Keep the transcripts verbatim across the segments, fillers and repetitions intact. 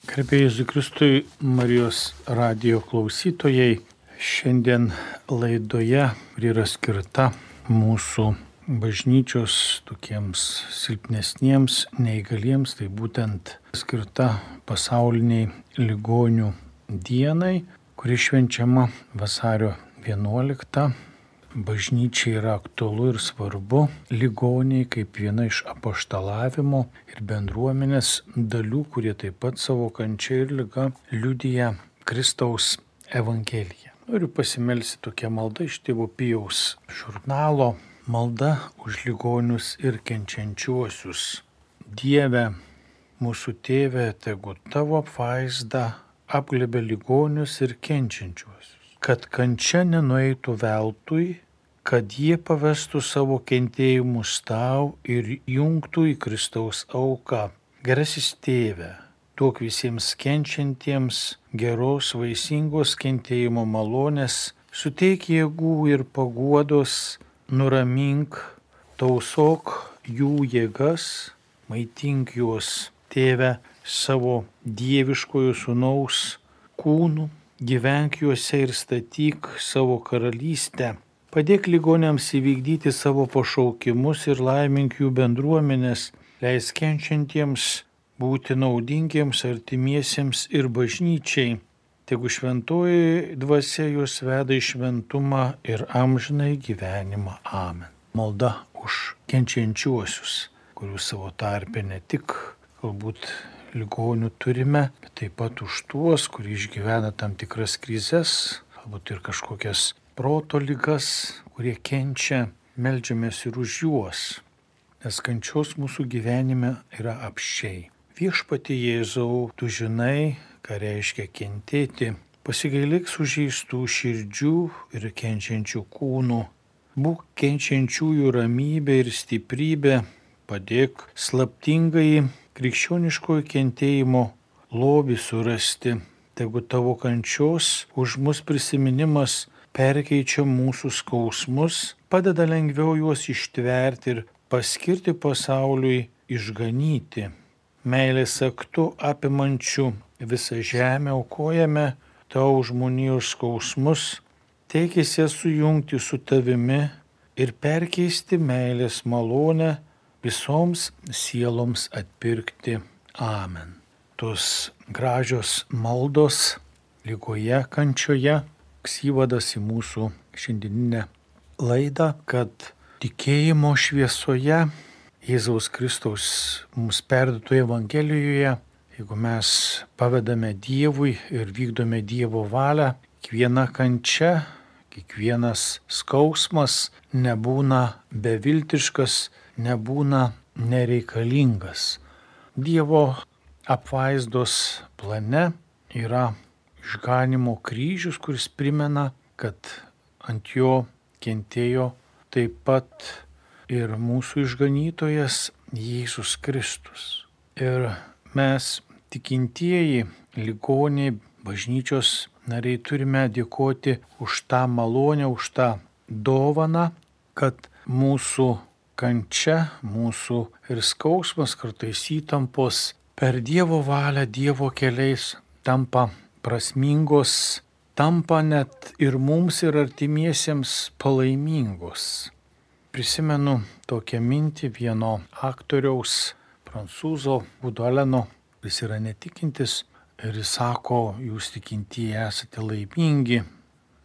Garbė Jėzui Kristui, Marijos radijo klausytojai, šiandien laidoje yra skirta mūsų bažnyčios tokiems silpnesniems, neįgaliems, tai būtent skirta pasauliniai ligonių dienai, kuri švenčiama vasario vienuoliktą. Bažnyčiai yra aktualu ir svarbu ligoniai kaip viena iš apaštalavimo ir bendruomenės dalių, kurie taip pat savo kančia ir liga liudija Kristaus Evangeliją. Noriu pasimelsti tokią maldą iš Tėvo Pijaus žurnalo. Malda už ligonius ir kenčiančiuosius. Dieve, mūsų Tėve, tegu tavo apvaizda apglėbia ligonius ir kenčiančiuosius, kad kančia nenueitų veltui, kad jie pavestų savo kentėjimus tau ir jungtų į Kristaus auką. Gerasis Tėve, duok visiems kenčiantiems geros vaisingos kentėjimo malonės, suteik jėgų ir paguodos, nuramink, tausok jų jėgas, maitink juos, Tėve, savo dieviškojo sūnaus kūnų, gyvenk juose ir statyk savo karalystę. Padėk ligoniams įvykdyti savo pašaukimus ir laimink jų bendruomenės, leis kenčiantiems būti naudingiems artimiesiems ir bažnyčiai. Tegu šventoji dvasia juos veda į šventumą ir amžinai gyvenimą. Amen. Malda už kenčiančiuosius, kurių savo tarpe ne tik galbūt ligonių turime, bet taip pat už tuos, kurie išgyvena tam tikras krizes, galbūt ir kažkokias proto ligas, kurie kenčia, meldžiamės ir už juos, nes kančios mūsų gyvenime yra apsčiai. Viešpatie Jėzau, tu žinai, ką reiškia kentėti, pasigailėk sužeistų širdžių ir kenčiančių kūnų, būk kenčiančiųjų ramybė ir stiprybė, padėk slaptingai krikščioniškojo kentėjimo lobį surasti, tegu tavo kančios už mus prisiminimas perkeičia mūsų skausmus, padeda lengviau juos ištverti ir paskirti pasauliui išganyti. Meilės aktu apimančių visą žemę aukojame tau žmonijos skausmus, teikėsi sujungti su tavimi ir perkeisti meilės malonę visoms sieloms atpirkti. Amen. Tos gražios maldos ligoje, kančioje, įvadas į mūsų šiandieninę laidą, kad tikėjimo šviesoje Jėzaus Kristaus mums perduotoje Evangelijoje, jeigu mes pavedame Dievui ir vykdome Dievo valią, kiekviena kančia, kiekvienas skausmas nebūna beviltiškas, nebūna nereikalingas. Dievo apvaizdos plane yra išganimo kryžius, kuris primena, kad ant jo kentėjo taip pat ir mūsų išganytojas Jėzus Kristus. Ir mes, tikintieji, ligoniai, bažnyčios nariai, turime dėkoti už tą malonę, už tą dovaną, kad mūsų kančia, mūsų ir skausmas, kartais įtampos per Dievo valią, Dievo keliais tampa prasmingos, tampa net ir mums ir artimiesiems palaimingos. Prisimenu tokią mintį vieno aktoriaus, prancūzo Woody Alleno, jis yra netikintis ir jis sako, jūs tikintieji esate laimingi,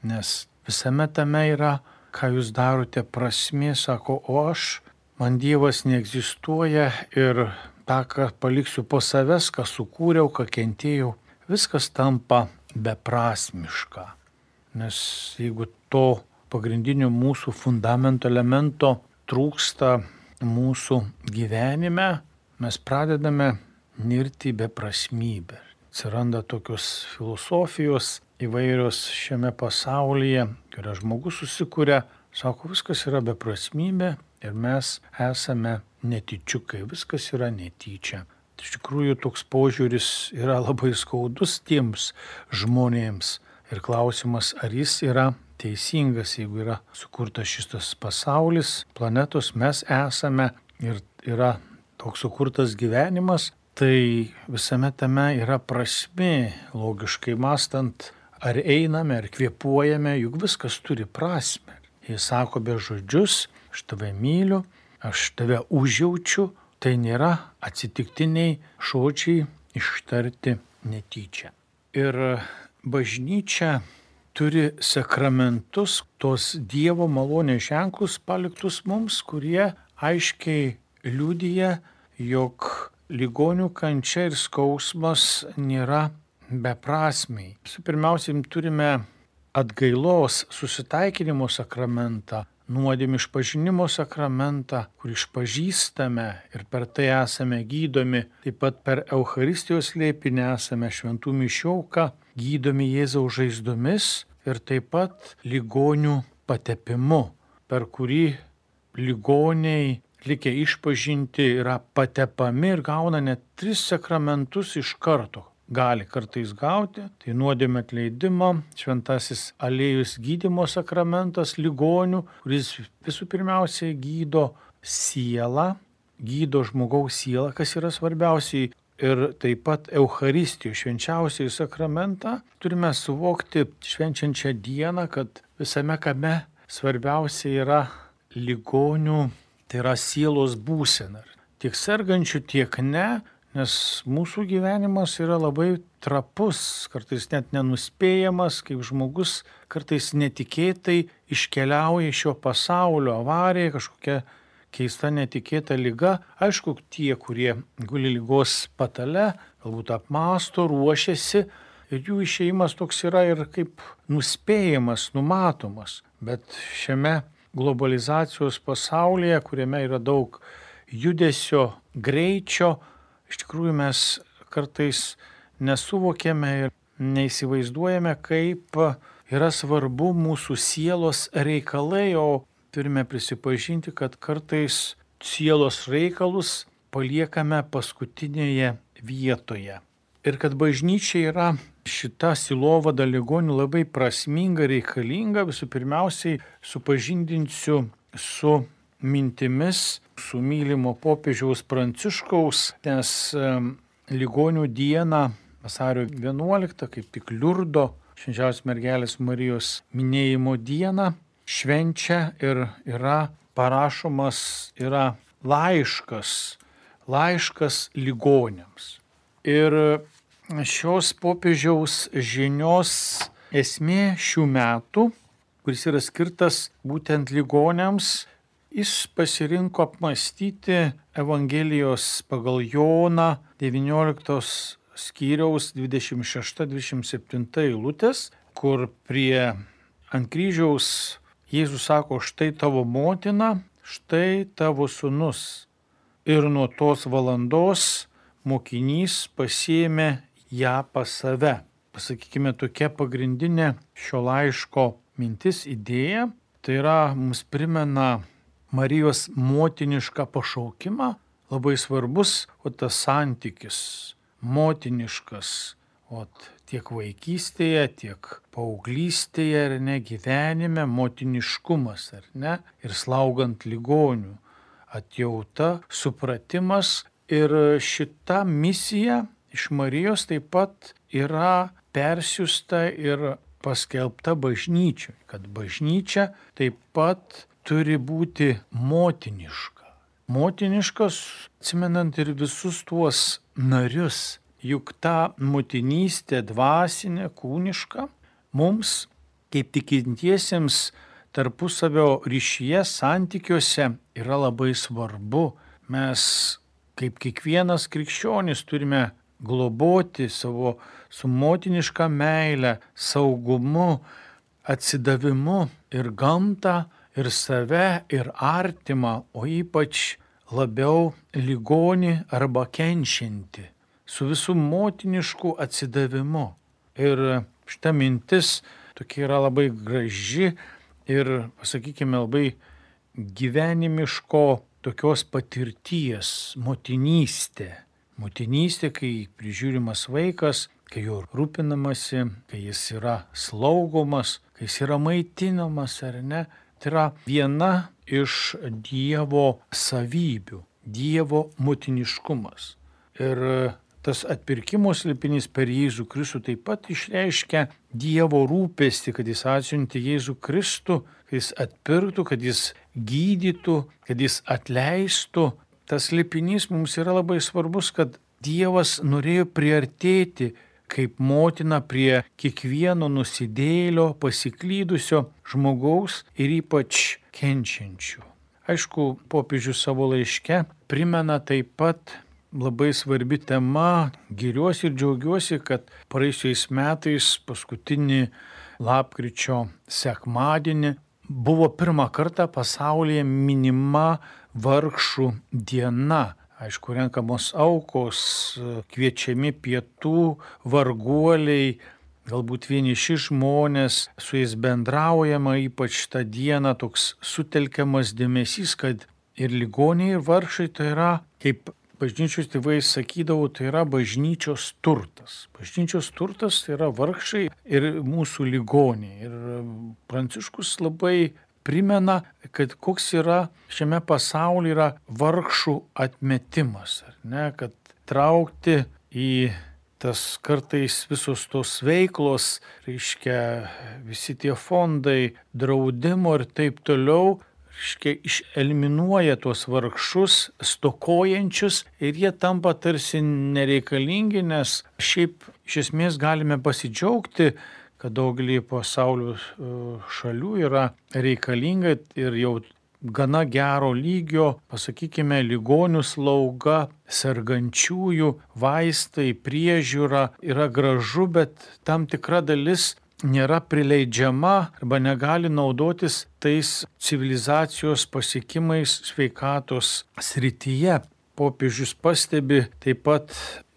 nes visame tame yra, ką jūs darote, prasmė, sako, o aš, man Dievas neegzistuoja ir tą, ką paliksiu po savęs, ką sukūriau, ką kentėjau, viskas tampa beprasmiška. Nes jeigu to pagrindinio mūsų fundamento elemento trūksta mūsų gyvenime, mes pradedame nirti beprasmybę. Atsiranda tokios filosofijos įvairios šiame pasaulyje, kurią žmogus susikuria, sako, viskas yra beprasmybė ir mes esame netyčiukai, viskas yra netyčia. Iš tikrųjų, toks požiūris yra labai skaudus tiems žmonėms. Ir klausimas, ar jis yra teisingas, jeigu yra sukurtas šitas pasaulis, planetos, mes esame ir yra toks sukurtas gyvenimas, tai visame tame yra prasmė, logiškai mąstant, ar einame, ar kvėpuojame, juk viskas turi prasmę. Jis sako be žodžius, aš tave myliu, aš tave užjaučiu, tai nėra atsitiktiniai žodžiai ištarti netyčia. Ir bažnyčia turi sakramentus, tos Dievo malonės ženklus paliktus mums, kurie aiškiai liudija, jog ligonių kančia ir skausmas nėra beprasmiai. Pirmiausia, turime atgailos susitaikinimo sakramentą, nuodėmių išpažinimo sakramentą, kur išpažįstame ir per tai esame gydomi. Taip pat per Eucharistijos slėpinį esame šventų mišių auka, gydomi Jėzaus žaizdomis ir taip pat ligonių patepimu, per kurį ligoniai likę išpažinti yra patepami ir gauna net tris sakramentus iš karto. Gali kartais gauti, tai nuodėmė atleidimo, šventasis aliejus gydymo sakramentas ligonių, kuris visų pirmiausiai gydo sielą, gydo žmogaus sielą, kas yra svarbiausiai. Ir taip pat Eucharistijos švenčiausiai sakramentą turime suvokti švenčiančią dieną, kad visame kame svarbiausia yra ligonių, tai yra sielos būsena. Tiek sergančių, tiek ne. Nes mūsų gyvenimas yra labai trapus, kartais net nenuspėjamas, kaip žmogus kartais netikėtai iškeliauja iš šio pasaulio, avarija, kažkokia keista netikėta liga. Aišku, tie, kurie guli ligos patale, galbūt apmąsto, ruošiasi ir jų išėjimas toks yra ir kaip nuspėjamas, numatomas. Bet šiame globalizacijos pasaulyje, kuriame yra daug judesio, greičio, iš tikrųjų mes kartais nesuvokėme ir neįsivaizduojame, kaip yra svarbu mūsų sielos reikalai, o turime prisipažinti, kad kartais sielos reikalus paliekame paskutinėje vietoje. Ir kad bažnyčia yra šita sielovada ligonių labai prasminga, reikalinga, visų pirmiausiai supažindinsiu su mintimis, su mylimo popiežiaus Pranciškaus, nes ligonių dieną, vasario vienuoliktą, kaip tik Liurdo, švenčiausios mergelės Marijos minėjimo dieną, švenčia ir yra parašomas yra laiškas, laiškas ligoniams. Ir šios popiežiaus žinios esmė šių metų, kuris yra skirtas būtent ligoniams, jis pasirinko apmąstyti Evangelijos pagal Joną devynioliktos skyriaus dvidešimt šešta dvidešimt septinta eilutės, kur prie ant kryžiaus Jėzus sako, štai tavo motina, štai tavo sūnus. Ir nuo tos valandos mokinys pasiėmė ją pas save. Pasakykime, tokia pagrindinė šio laiško mintis, idėja, tai yra mums primena Marijos motinišką pašaukimą, labai svarbus o tas santykis, motiniškas, o tiek vaikystėje, tiek paauglystėje ir ne gyvenime, motiniškumas, ar ne, ir slaugant ligonių, atjauta, supratimas. Ir šita misija iš Marijos taip pat yra persiųsta ir paskelbta bažnyčiai, kad bažnyčia taip pat turi būti motiniška. Motiniškas, atsimenant ir visus tuos narius, juk ta motinystė dvasinė, kūniška, mums, kaip tikintiesiems, tarpusavio ryšyje, santykiuose yra labai svarbu. Mes, kaip kiekvienas krikščionis, turime globoti savo su motiniška meile, saugumu, atsidavimu ir gamtą, ir save, ir artimą, o ypač labiau ligonį arba kenčiantį, su visų motinišku atsidavimu. Ir šita mintis tokia yra labai graži ir, pasakykime, labai gyvenimiško tokios patirties, motinystė. Motinystė, kai prižiūrimas vaikas, kai jo rūpinamasi, kai jis yra slaugomas, kai jis yra maitinamas ar ne. Tai yra viena iš Dievo savybių, Dievo motiniškumas. Ir tas atpirkimo slėpinys per Jėzų Kristų taip pat išreiškia Dievo rūpestį, kad jis atsiuntė Jėzų Kristų, kad jis atpirktų, kad jis gydytų, kad jis atleistų. Tas slėpinys mums yra labai svarbus, kad Dievas norėjo priartėti kaip motina prie kiekvieno nusidėjėlio, pasiklydusio žmogaus ir ypač kenčiančių. Aišku, popiežius savo laiške primena taip pat labai svarbi tema, giriuosi ir džiaugiuosi, kad praėjusiais metais paskutinį lapkričio sekmadienį buvo pirmą kartą pasaulyje minima vargšų diena. Aišku, renkamos aukos, kviečiami pietų, varguoliai, galbūt vieniši žmonės, su jais bendraujama, ypač tą dieną toks sutelkiamas dėmesys, kad ir ligoniai, ir vargšai tai yra, kaip bažnyčios tėvai sakydavo, tai yra bažnyčios turtas. Bažnyčios turtas tai yra vargšai ir mūsų ligoniai. Ir Pranciškus labai primena, kad koks yra šiame pasaulyje yra vargšų atmetimas, ar ne, kad traukti į tas kartais visos tos veiklos, reiškia visi tie fondai, draudimo ir taip toliau, reiškia išeliminuoja tuos vargšus, stokojančius ir jie tampa tarsi nereikalingi, nes šiaip iš esmės galime pasidžiaugti, kad daugelį pasaulio šalių yra reikalinga ir jau gana gero lygio, pasakykime, ligonių slauga, sergančiųjų vaistai, priežiūra yra gražu, bet tam tikra dalis nėra prileidžiama arba negali naudotis tais civilizacijos pasiekimais sveikatos srityje. Popiežius pastebi taip pat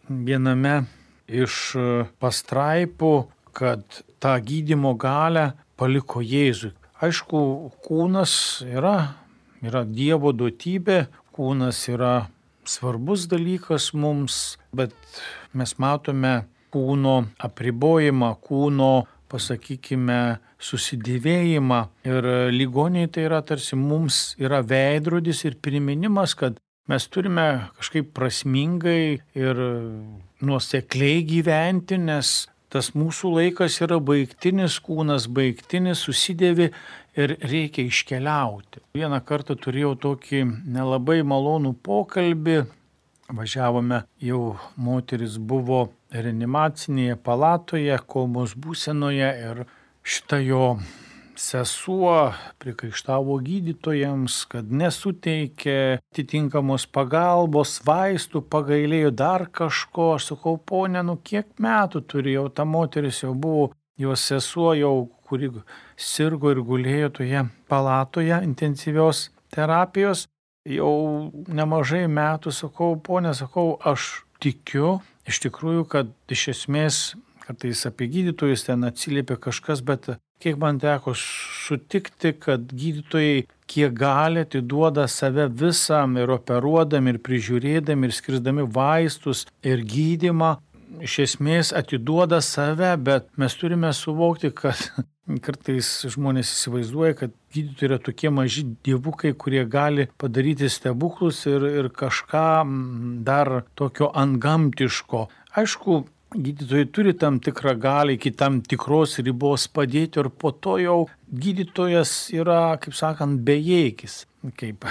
viename iš pastraipų, kad tą gydymo galią paliko Jėzui. Aišku, kūnas yra, yra Dievo duotybė, kūnas yra svarbus dalykas mums, bet mes matome kūno apribojimą, kūno, pasakykime, susidėvėjimą. Ir ligoniai tai yra tarsi mums yra veidrodis ir priminimas, kad mes turime kažkaip prasmingai ir nuosekliai gyventi, nes tas mūsų laikas yra baigtinis, kūnas baigtinis, susidėvi ir reikia iškeliauti. Vieną kartą turėjau tokį nelabai malonų pokalbį. Važiavome, jau moteris buvo reanimacinėje palatoje, komos būsenoje ir šita jo sesuo prikaištavo gydytojams, kad nesuteikė atitinkamos pagalbos, vaistų, pagailėjo dar kažko. Aš sakau, ponė, nu kiek metų turėjau, ta moteris jau buvo, jos sesuo jau, kuri sirgo ir gulėjo toje palatoje intensyvios terapijos, jau nemažai metų. Sakau, ponė, sakau, aš tikiu iš tikrųjų, kad iš esmės kartais apie gydytojus ten atsiliepia kažkas, bet kiek man teko sutikti, kad gydytojai kiek gali atiduoda save visam ir operuodami, ir prižiūrėdami, ir skirsdami vaistus, ir gydymą, iš esmės atiduoda save, bet mes turime suvokti, kad kartais žmonės įsivaizduoja, kad gydytojai yra tokie maži dievukai, kurie gali padaryti stebuklus ir, ir kažką dar tokio antgamtiško. Aišku, gydytojai turi tam tikrą galią iki tam tikros ribos padėti ir po to jau gydytojas yra, kaip sakant, bejėgis. Kaip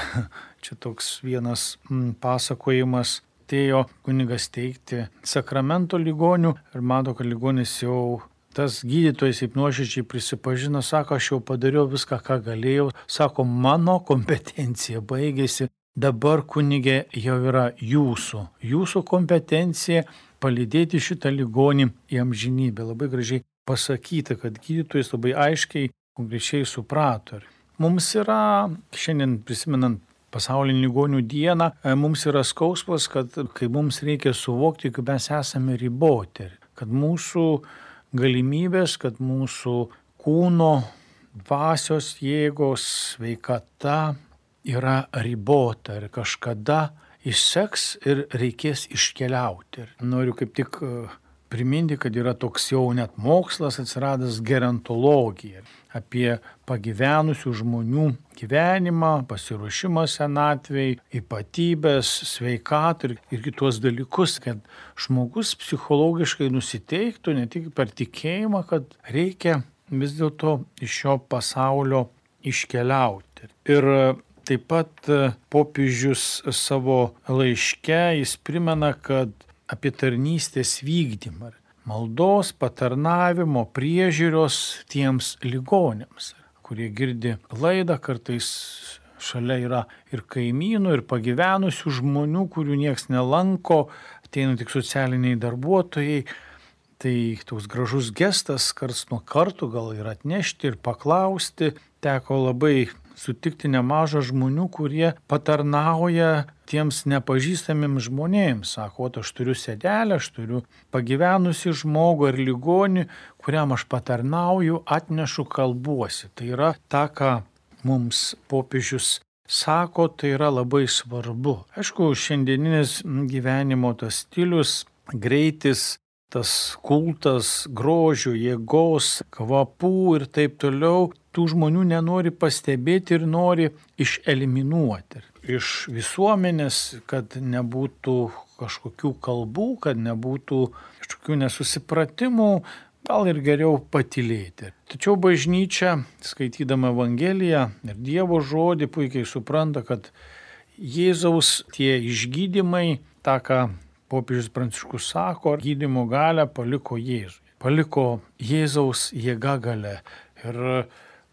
čia toks vienas mm, pasakojimas, atėjo kunigas teikti sakramento ligonių ir mato, kad ligonis jau, tas gydytojas taip nuoširdžiai prisipažino, sako, aš jau padariau viską, ką galėjau, sako, mano kompetencija baigėsi, dabar kunigė jau yra jūsų, jūsų kompetencija palydėti šitą ligonį į amžinybę. Labai gražiai pasakyta, kad gydytojas labai aiškiai, konkrečiai suprato. Mums yra, šiandien prisimenant pasaulinį ligonių dieną, mums yra skausmas, kad kai mums reikia suvokti, kad mes esame riboti, kad mūsų galimybės, kad mūsų kūno, dvasios jėgos, sveikata yra ribota ir kažkada išseks ir reikės iškeliauti. Ir noriu kaip tik priminti, kad yra toks jau net mokslas atsiradęs gerontologija apie pagyvenusių žmonių gyvenimą, pasiruošimą senatvei, ypatybės, sveikatą ir, ir kitos dalykus, kad žmogus psichologiškai nusiteiktų ne tik per tikėjimą, kad reikia vis dėlto iš šio pasaulio iškeliauti. Ir taip pat popiežius savo laiške jis primena, kad apie tarnystės vykdymą, maldos, patarnavimo, priežiūros tiems ligoniams, kurie girdi laidą, kartais šalia yra ir kaimynų, ir pagyvenusių žmonių, kurių nieks nelanko, ateina tik socialiniai darbuotojai. Tai toks gražus gestas, karts nuo karto gal ir atnešti ir paklausti. Teko labai sutikti nemažą žmonių, kurie patarnauja tiems nepažįstamiems žmonėms. Sako, aš turiu sedelę, aš turiu pagyvenusi žmogų ar ligonį, kuriam aš patarnauju, atnešu, kalbuosi. Tai yra ta, ką mums popiežius sako, tai yra labai svarbu. Aišku, šiandieninis gyvenimo tas stilius, greitis, tas kultas grožio, jėgos, kvapų ir taip toliau, tų žmonių nenori pastebėti ir nori išeliminuoti iš visuomenės, kad nebūtų kažkokių kalbų, kad nebūtų kažkokių nesusipratimų, gal ir geriau patylėti. Tačiau bažnyčia, skaitydama Evangeliją ir Dievo žodį, puikiai supranta, kad Jėzaus tie išgydymai, tą, ką popiežius Pranciškus sako, gydymo galią paliko Jėzui. Paliko Jėzaus jėga galia. Ir,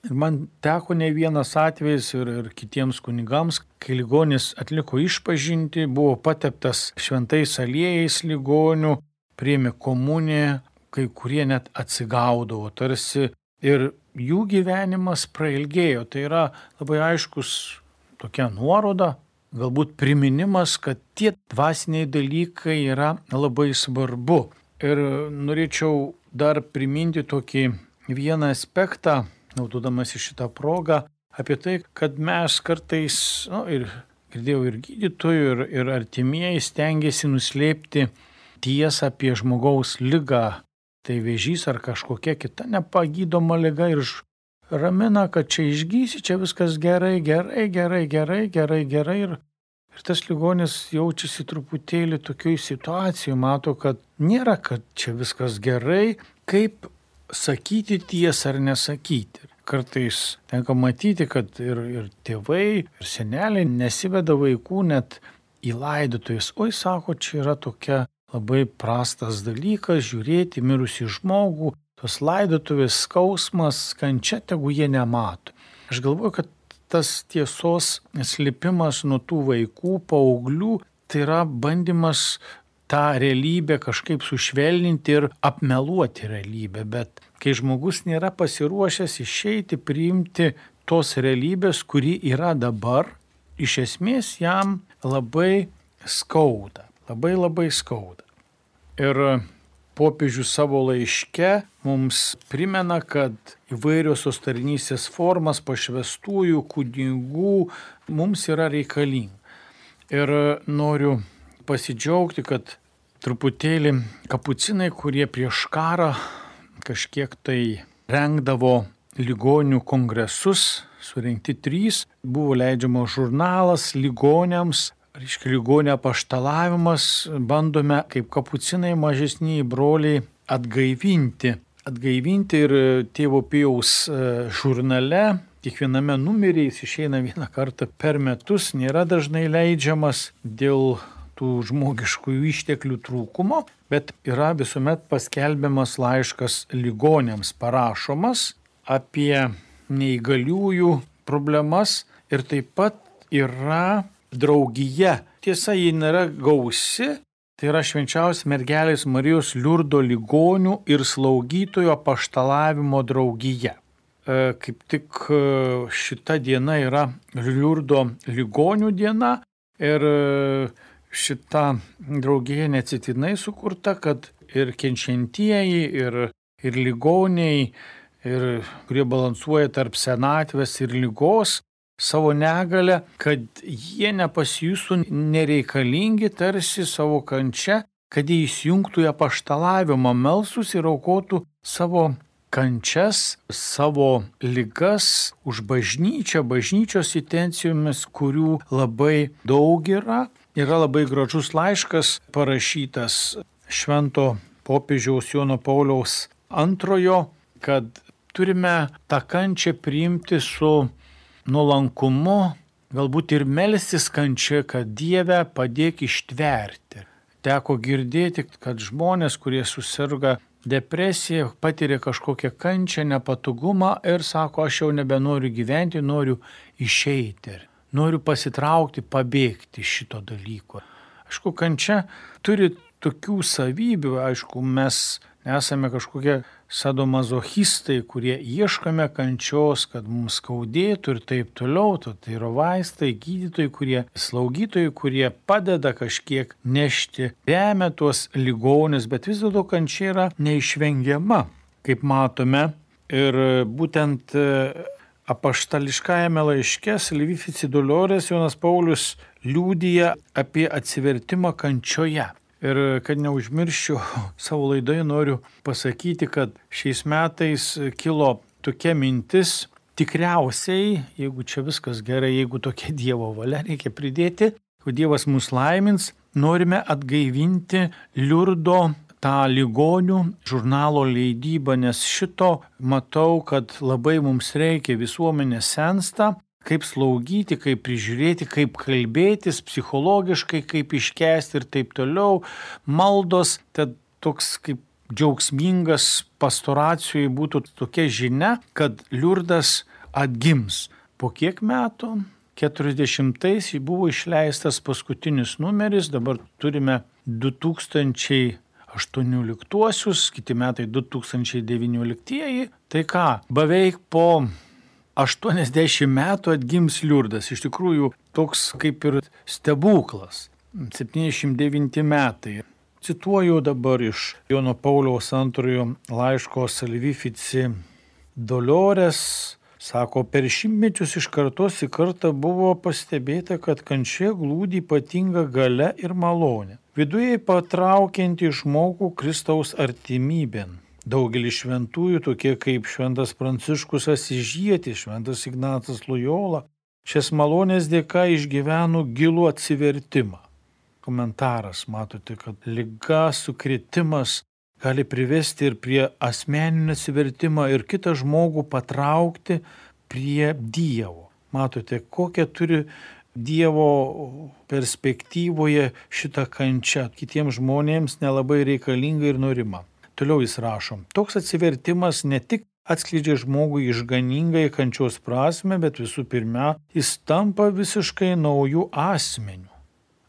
ir man teko ne vienas atvejis ir, ir kitiems kunigams, kai ligonis atliko išpažintį, buvo pateptas šventais aliejais ligonių, priėmė komuniją, kai kurie net atsigaudavo tarsi ir jų gyvenimas prailgėjo. Tai yra labai aiškus tokia nuoroda, galbūt priminimas, kad tie dvasiniai dalykai yra labai svarbu. Ir norėčiau dar priminti tokį vieną aspektą, naudodamas į šitą progą, apie tai, kad mes kartais, nu, ir girdėjau ir gydytojų, ir, ir artimieji stengiasi nuslėpti tiesą apie žmogaus ligą. Tai vėžys ar kažkokia kita nepagydoma liga ir ramina, kad čia išgysi, čia viskas gerai, gerai, gerai, gerai, gerai, gerai. Ir, ir tas ligonis jaučiasi truputėlį tokioj situacijoj, mato, kad nėra, kad čia viskas gerai, kaip sakyti tiesą ar nesakyti. Kartais tenka matyti, kad ir, ir tėvai, ir seneliai nesiveda vaikų net į laidotuves. Oi, sako, čia yra tokia labai prastas dalykas žiūrėti mirusį žmogų. Tos laidotuvės skausmas, kančia, tegu jie nemato. Aš galvoju, kad tas tiesos slėpimas nuo tų vaikų, paauglių, tai yra bandymas tą realybę kažkaip sušvelninti ir apmeluoti realybę. Bet kai žmogus nėra pasiruošęs išeiti, priimti tos realybės, kuri yra dabar, iš esmės jam labai skauda. Labai labai skauda. Ir popiežius savo laiške mums primena, kad įvairiosios tarnystės formas pašvestųjų kunigų mums yra reikalinga. Ir noriu pasidžiaugti, kad truputėlį kapucinai, kurie prieš karą kažkiek tai rengdavo ligonių kongresus, surinkti trys, buvo leidžiamas žurnalas ligoniams, reiškia ligonio apaštalavimas, bandome kaip kapucinai mažesniai broliai atgaivinti. Atgaivinti ir tėvo Pijaus žurnale, kiekviename numeryje jis išeina vieną kartą per metus, nėra dažnai leidžiamas dėl tų žmogiškųjų išteklių trūkumo, bet yra visuomet paskelbiamas laiškas ligoniams parašomas apie neįgaliųjų problemas ir taip pat yra draugija. Tiesa, ji nėra gausi, tai yra švenčiausios mergelės Marijos Liurdo ligonių ir slaugytojų apaštalavimo draugija. Kaip tik šita diena yra Liurdo ligonių diena ir šita draugija neatsitiktinai sukurta, kad ir kenčiantieji, ir, ir ligoniai, ir kurie balansuoja tarp senatvės ir ligos, savo negalę, kad jie nepasijustų nereikalingi tarsi savo kančia, kad jie įsijungtų į apaštalavimą, melstus ir aukotų savo kančias, savo ligas už bažnyčią, bažnyčios intencijomis, kurių labai daug yra. Yra labai gražus laiškas parašytas švento popiežiaus Jono Pauliaus antrojo, kad turime tą kančią priimti su nuolankumu, galbūt ir melstis kančia, kad Dieve padėk ištverti. Teko girdėti, kad žmonės, kurie susirga depresija, patiria kažkokią kančią, nepatogumą ir sako, aš jau nebenoriu gyventi, noriu išeiti. Noriu pasitraukti, pabėgti šito dalyko. Aišku, kančia turi tokių savybių, aišku, mes nesame kažkokie sadomazochistai, kurie ieškame kančios, kad mums skaudėtų ir taip toliau. Tai yra vaistai, gydytojai, kurie, slaugytojai, kurie padeda kažkiek nešti, remia tuos ligonius, bet vis dėlto kančia yra neišvengiama, kaip matome. Ir būtent apaštališkajame laiške Salvifici Dolores Jonas Paulius liudija apie atsivertimą kančioje. Ir kad neužmirščiau, savo laidoje noriu pasakyti, kad šiais metais kilo tokia mintis, tikriausiai, jeigu čia viskas gerai, jeigu tokia Dievo valia, reikia pridėti, kad Dievas mus laimins, norime atgaivinti Liurdo tą ligonių žurnalo leidybą, nes šito matau, kad labai mums reikia, visuomenė sensta, kaip slaugyti, kaip prižiūrėti, kaip kalbėtis psichologiškai, kaip iškęsti ir taip toliau. Maldos, tad toks kaip džiaugsmingas pastoracijoje būtų tokia žinia, kad Liurdas atgims. Po kiek metų? keturiasdešimtais buvo išleistas paskutinis numeris, dabar turime du tūkstančiai aštuonioliktuosius, kiti metai du tūkstančiai devynioliktieji. Tai ką, beveik po aštuoniasdešimt metų atgims Liurdas. Iš tikrųjų, toks kaip ir stebuklas. septyniasdešimt devinti metai. Cituoju dabar iš Jono Pauliaus antrojo laiško Salvifici Dolores. Sako, per šimtmečius iš kartos į kartą buvo pastebėta, kad kančia glūdi ypatinga galia ir malonė, viduje patraukianti žmogų Kristaus artimybėn. Daugelis šventųjų, tokie kaip šventas Pranciškus Asyžietis, šventas Ignacas Lojola, šias malonės dėka išgyveno gilų atsivertimą. Komentaras, matote, kad liga, sukritimas gali privesti ir prie asmeninio atsivertimą ir kitą žmogų patraukti prie Dievo. Matote, kokią turi Dievo perspektyvoje šitą kančią. Kitiems žmonėms nelabai reikalinga ir norima. Toliau jis rašo, toks atsivertimas ne tik atskleidžia žmogui išganingąją kančios prasmę, bet visų pirma, jis tampa visiškai naujų asmenių,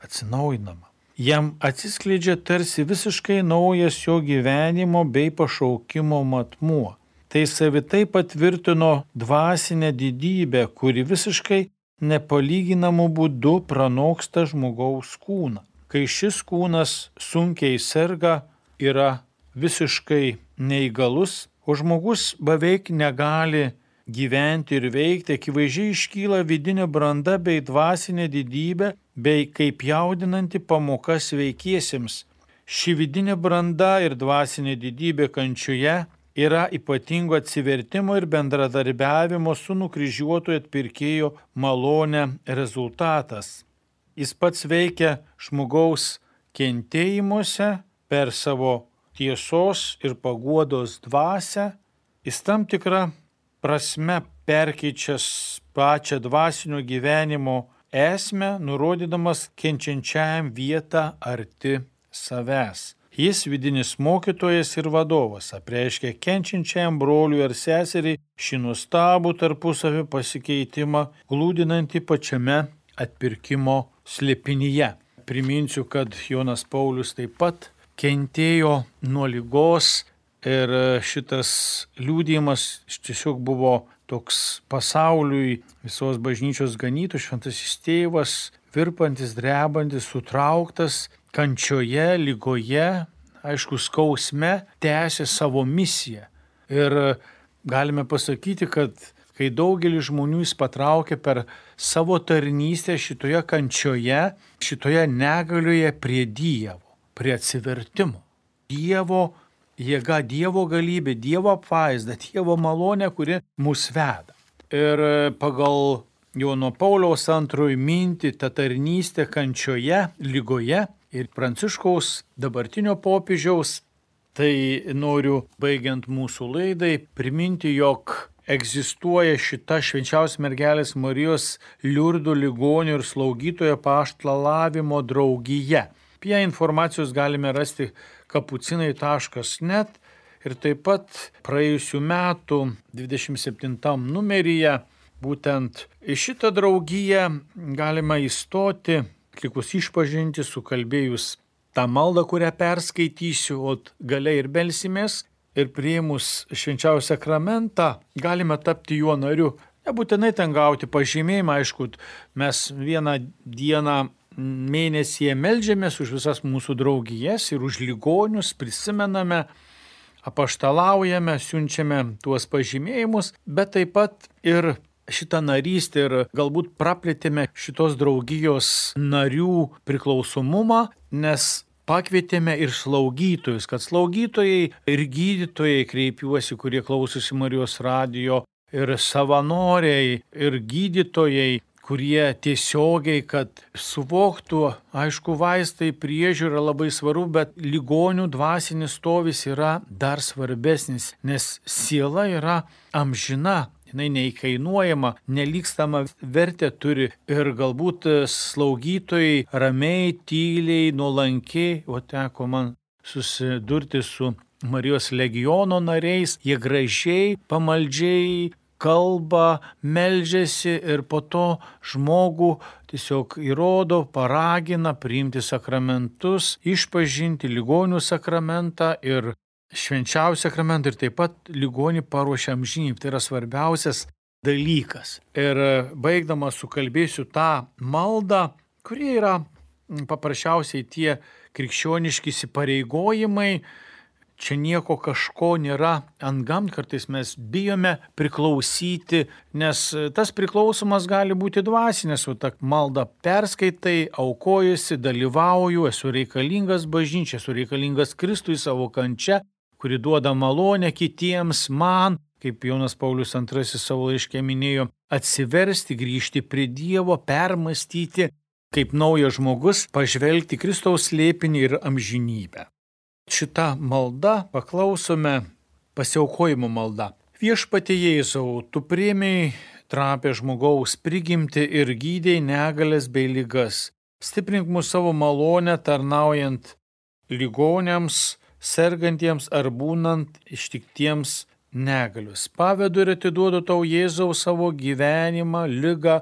atsinaujinama. Jam atsiskleidžia tarsi visiškai naujas jo gyvenimo bei pašaukimo matmuo. Tai savitai patvirtino dvasinę didybę, kuri visiškai nepalyginamų būdų pranoksta žmogaus kūną. Kai šis kūnas sunkiai serga, yra visiškai neįgalus, o žmogus beveik negali gyventi ir veikti, akivaizdžiai iškyla vidinė branda bei dvasinė didybė, bei kaip jaudinanti pamoka sveikiesiems. Ši vidinė branda ir dvasinė didybė kančioje yra ypatingo atsivertimo ir bendradarbiavimo su nukryžiuotojo atpirkėjo malone rezultatas. Jis pats veikia žmogaus kentėjimuose per savo tiesos ir paguodos dvasią. Jis tam tikrą prasme perkeičias pačią dvasinio gyvenimo esmę, nurodydamas kenčiančiajam vietą arti savęs. Jis vidinis mokytojas ir vadovas, apreiškia kenčiančiajam broliui ar seseriai šį nuostabų tarpusavio pasikeitimą, glūdinantį pačiame atpirkimo slėpinyje. Priminsiu, kad Jonas Paulius taip pat kentėjo nuo ligos ir šitas liudijimas tiesiog buvo toks pasauliui visos bažnyčios ganytų, šventasis tėvas, virpantis, drebantis, sutrauktas, kančioje, ligoje, aišku, skausme, tęsė savo misiją. Ir galime pasakyti, kad kai daugelis žmonių jis patraukė per savo tarnystę šitoje kančioje, šitoje negalioje prie Dievo. prie atsivertimo. Dievo jėga, Dievo galybė, Dievo apvaizda, Dievo malonė, kuri mus veda. Ir pagal Jono Pauliaus antrojo mintį, ta tarnystė kančioje, lygoje ir Pranciškaus dabartinio popiežiaus, tai noriu, baigiant mūsų laidai, priminti, jog egzistuoja šita švenčiausios mergelės Marijos Liurdų ligonių ir slaugytojo apaštalavimo draugija. Apie informacijos galime rasti kapucinai taškas net ir taip pat praėjusių metų dvidešimt septintam numeryje būtent į šitą draugiją galima įstoti, atlikus išpažinti, sukalbėjus tą maldą, kurią perskaitysiu, o gale ir belsimės, ir priėmus švenčiausią sakramentą galime tapti juo nariu. Nebūtinai ten gauti pažymėjimą, aišku, mes vieną dieną mėnesyje meldžiamės už visas mūsų draugijas ir už ligonius, prisimename, apaštalaujame, siunčiame tuos pažymėjimus, bet taip pat ir šitą narystę ir galbūt praplėtėme šitos draugijos narių priklausomumą, nes pakvietėme ir slaugytojus, kad slaugytojai ir gydytojai, kreipiuosi, kurie klausosi Marijos radijo, ir savanoriai, ir gydytojai, kurie tiesiogiai, kad suvoktų, aišku, vaistai priežiūra labai svarbu, bet ligonių dvasinis stovis yra dar svarbesnis, nes siela yra amžina. Jinai neįkainuojama, nelygstama vertę turi ir galbūt slaugytojai ramiai, tyliai, nuolankiai, o teko man susidurti su Marijos legiono nariais, jie gražiai, pamaldžiai kalba, meldžiasi ir po to žmogų tiesiog įrodo, paragina priimti sakramentus, išpažinti ligonių sakramentą ir švenčiausią sakramentą ir taip pat ligonį paruošia amžinybę. Tai yra svarbiausias dalykas. Ir baigdamas sukalbėsiu tą maldą, kurie yra paprasčiausiai tie krikščioniški įsipareigojimai. Čia nieko kažko nėra antgam, kartais mes bijome priklausyti, nes tas priklausomas gali būti dvasinės, o tą maldą perskaitai, aukojusi, dalyvauju, esu reikalingas bažnyčiai, esu reikalingas Kristui savo kančia, kuri duoda malonę kitiems, man, kaip Jonas Paulius antrasis savo laiške minėjo, atsiversti, grįžti prie Dievo, permastyti, kaip naujas žmogus, pažvelgti Kristaus slėpinį ir amžinybę. Šitą maldą paklausome pasiaukojimo malda. Viešpatie Jėzau, tu priėmei trapę žmogaus prigimtį ir gydei negalės bei ligas. Stiprink mūsų savo malonę tarnaujant ligoniams, sergantiems ar būnant ištiktiems negalius. Pavedu ir atiduodu tau Jėzau savo gyvenimą, ligą,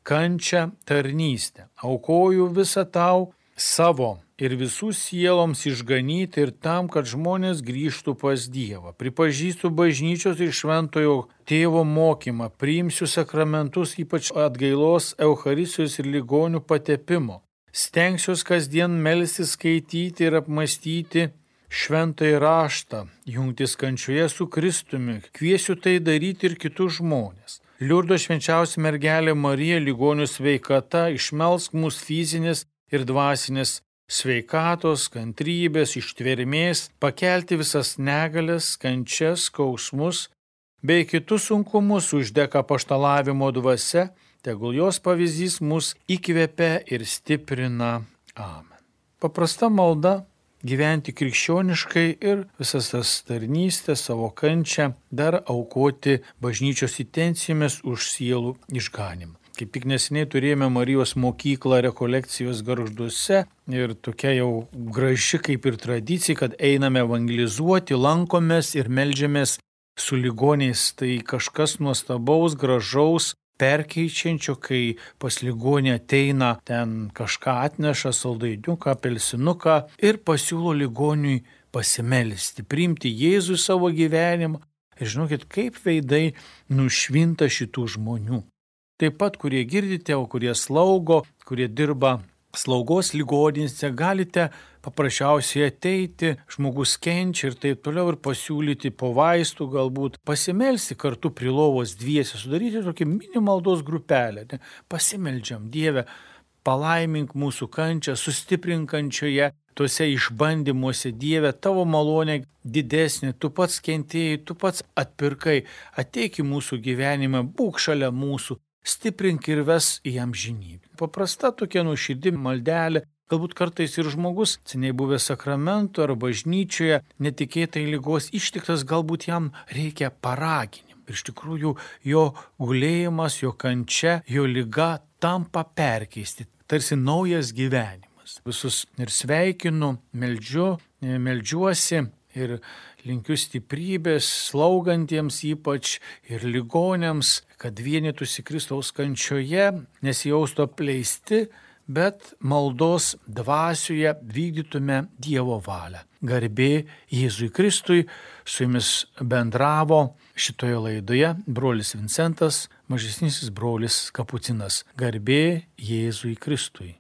kančią, tarnystę. Aukoju visą tau savo ir visų sieloms išganyti ir tam, kad žmonės grįžtų pas Dievą. Pripažįstu bažnyčios ir šventojo tėvo mokymą, priimsiu sakramentus, ypač atgailos, eucharistijos ir ligonių patepimo. Stengsiuos kasdien melstis, skaityti ir apmastyti šventąjį raštą, jungtis kančioje su Kristumi. Kviesiu tai daryti ir kitus žmonės. Liurdo švenčiausia mergelė Marija, ligonių sveikata, išmelsk mūsų fizinės ir dvasinės sveikatos, kantrybės, ištvermės, pakelti visas negalias, kančias, skausmus bei kitus sunkumus, uždek apaštalavimo dvasia, tegul jos pavyzdys mus įkvepia ir stiprina. Amen. Paprasta malda gyventi krikščioniškai ir visas tas tarnystės, savo kančią dar aukoti bažnyčios intencijomis už sielų išganimą. Kaip tik neseniai turėjome Marijos mokyklą rekolekcijos Gargžduose ir tokia jau graži kaip ir tradicija, kad einame evangelizuoti, lankomės ir meldžiamės su ligoniais. Tai kažkas nuostabaus, gražaus, perkeičiančio, kai pas ligonį ateina, ten kažką atneša, saldainiuką, apelsinuką ir pasiūlo ligoniui pasimelsti, priimti Jėzų savo gyvenimą. Ir žinokit, kaip veidai nušvinta šitų žmonių. Taip pat, kurie girdite, o kurie slaugo, kurie dirba slaugos ligoninėse, galite paprasčiausiai ateiti, žmogus kenčia ir taip toliau ir pasiūlyti po vaistų, galbūt pasimelsti kartu prie lovos dviese, sudaryti tokį mini maldos grupelę. Ne? Pasimeldžiam, Dieve, palaimink mūsų kančią, sustiprink kančioje, tuose išbandymuose, Dieve, tavo malonė didesnė, tu pats kentėjai, tu pats atpirkai, ateik į mūsų gyvenimą, būk šalia mūsų, stiprink ir ves į amžinybę. Paprasta tokia nuoširdi maldelė. Galbūt kartais ir žmogus, seniai buvęs sakramentų ar bažnyčioje, netikėtai ligos ištiktas, galbūt jam reikia paraginimų. Ir iš tikrųjų jo gulėjimas, jo kančia, jo liga tampa perkeisti, tarsi naujas gyvenimas. Visus ir sveikinu, meldžiu, meldžiuosi ir linkiu stiprybės slaugantiems ypač ir ligonėms, kad vienytųsi Kristaus kančioje, nesijaustų apleisti, bet maldos dvasioje vykdytume Dievo valią. Garbė Jėzui Kristui, su jumis bendravo šitoje laidoje brolis Vincentas, mažesnysis brolis Kapucinas. Garbė Jėzui Kristui.